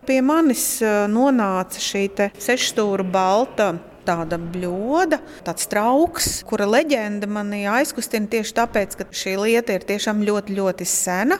Pie manis nonāca šī 6 stūra balta tāda bļoda, tāds trauks, kura leģenda mani aizkustina tieši tāpēc, ka šī lieta ir tiešām ļoti, ļoti sena.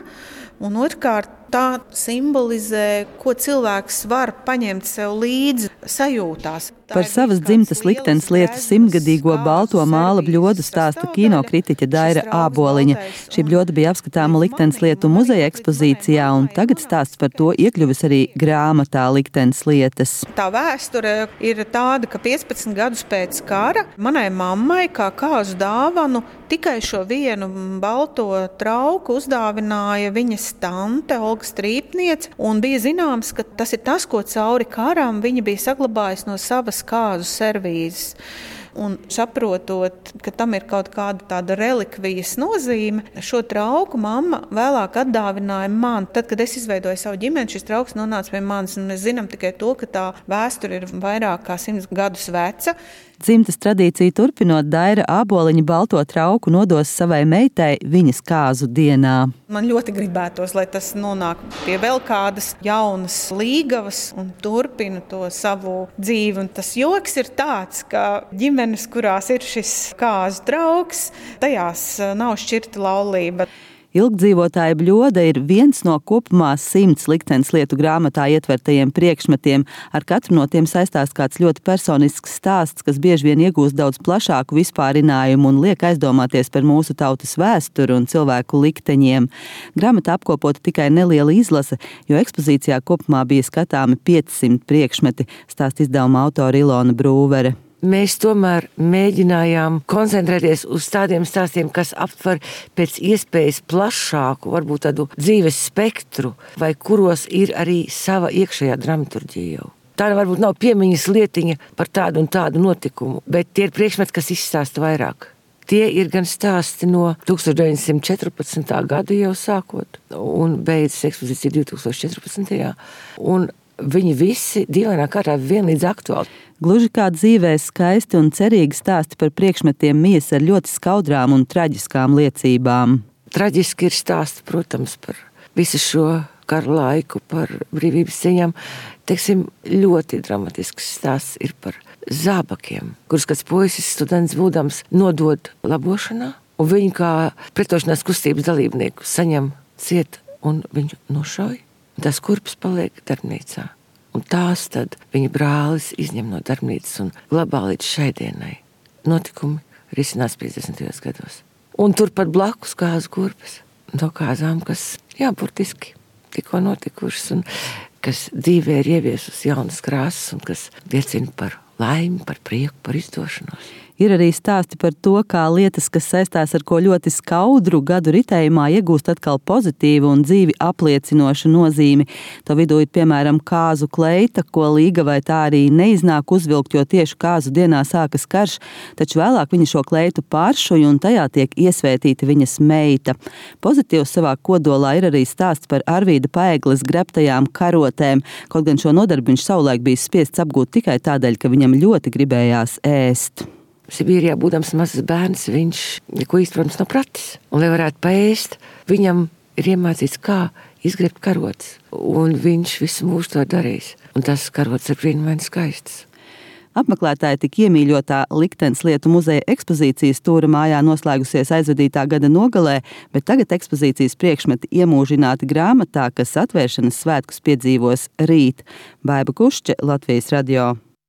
Un otrkārt, tā simbolizē, ko cilvēks var paņemt sev līdzi sajūtās. Par savas dzimtas liktenes lietu 100-gadīgo balto māla bļodu stāsta kinokritiķe Daira Āboliņa. Šī bļoda bija apskatāma liktenes lietu muzeja ekspozīcijā, un tagad stāsts par to iekļuvis arī grāmatā Liktenes lietas. Tā vēsture ir tāda, ka 15 gadus pēc kara manai mammai kā kāzu dāvanu tikai šo vienu balto trauku uzdāvināja viņas tante Olga Strīpniece, un bija zināms, ka tas ir tas, ko cauri karam viņa bija saglabājusi no savas kāzu servīzes. Un saprotot, ka tam ir kaut kāda tāda relikvijas nozīme, šo trauku mamma vēlāk atdāvināja man. Tad, kad es izveidoju savu ģimeni, šis trauks nonāca pie manis, un mēs zinām tikai to, ka tā vēsture ir vairāk kā 100 gadus veca. Dzimtas tradīciju turpinot, Daira Āboliņa balto trauku nodos savai meitai viņas kāzu dienā. Man ļoti gribētos, lai tas nonāk pie vēl kādas jaunas līgavas un turpina to savu dzīvi. Un tas joks ir tāds, ka ģimenes, kurās ir šis kāzu trauks, tajās nav šķirta laulība. Ilgdzīvotāja bļoda ir viens no kopumā 100 liktenes lietu grāmatā ietvertajiem priekšmetiem. Ar katru no tiem saistās kāds ļoti personisks stāsts, kas bieži vien iegūst daudz plašāku vispārinājumu un liek aizdomāties par mūsu tautas vēsturi un cilvēku likteņiem. Grāmatā apkopota tikai neliela izlase, jo ekspozīcijā kopumā bija skatāmi 500 priekšmeti, stāsta izdevuma autora Ilona Brūvere. Mēs tomēr mēģinājām koncentrēties uz tādiem stāstiem, kas aptver pēc iespējas plašāku, varbūt tādu dzīves spektru, vai kuros ir arī sava iekšējā dramaturģija jau. Tā varbūt nav piemiņas lietiņa par tādu un tādu notikumu, bet tie ir priekšmeti, kas izstāsta vairāk. Tie ir gan stāsti no 1914. gada jau sākot, un beidzas ekspozīcija 2014. Un viņi visi dīvainā kārtā vienlīdz aktuāli. Gluži kā dzīvē skaisti un cerīgi stāsti par priekšmetiem mijas ar ļoti skaudrām un traģiskām liecībām. Traģiski ir stāsti, protams, par visu šo karu laiku, par brīvības cīņām. Teiksim, ļoti dramatisks stāsts ir par zābakiem, kurus kāds puisis students būdams nodod labošanā, un viņu kā pretošanās kustības dalībnieku saņem ciet un viņu nošauj. Tas kurpes paliek darbnīcā. Un tās tad viņa brālis izņem no darbnīcas un glabā līdz šai dienai. Notikumi risinās 50. gados. Un turpat blakus kāzu kurpes. No kāzām, kas, burtiski tikko notikušas un kas dzīvē ir ieviesusi jaunas krāsas un kas liecina par laimi, par prieku, par izdošanos. Ir arī stāsti par to, kā lietas, kas saistās ar ko ļoti skaudru gadu ritējumā, iegūst atkal pozitīvu un dzīvi apliecinošu nozīmi. To vidū ir, piemēram, kāzu kleita, ko līga vai tā arī neiznāk uzvilkt, jo tieši kāzu dienā sākas karš, taču vēlāk viņa šo kleitu pāršuj un tajā tiek iesvētīta viņas meita. Pozitīvs savā kodolā ir arī stāsts par Arvīda Paegles grebtajām karotēm, kaut gan šo nodarbu viņš savulaik bija spiests apgūt tikai tādēļ, ka viņam ļoti gribējās ēst. Sibīrijā būdams mazs bērns, viņš neko īsti, protams, nav pratis. Un, lai varētu paēst, viņam ir iemācīts, kā izgrebt karotes. Un viņš visu mūžu to darījis. Un tas karotes ir brīnumaini skaistas. Apmeklētāji tik iemīļotā Liktenes lietu muzeja ekspozīcijas stūra mājā noslēgusies aizvadītā gada nogalē, bet tagad ekspozīcijas priekšmeti iemūžināti grāmatā, kas atvēršanas svētkus piedzīvos rīt. Baiba Kušče, Latvijas radio.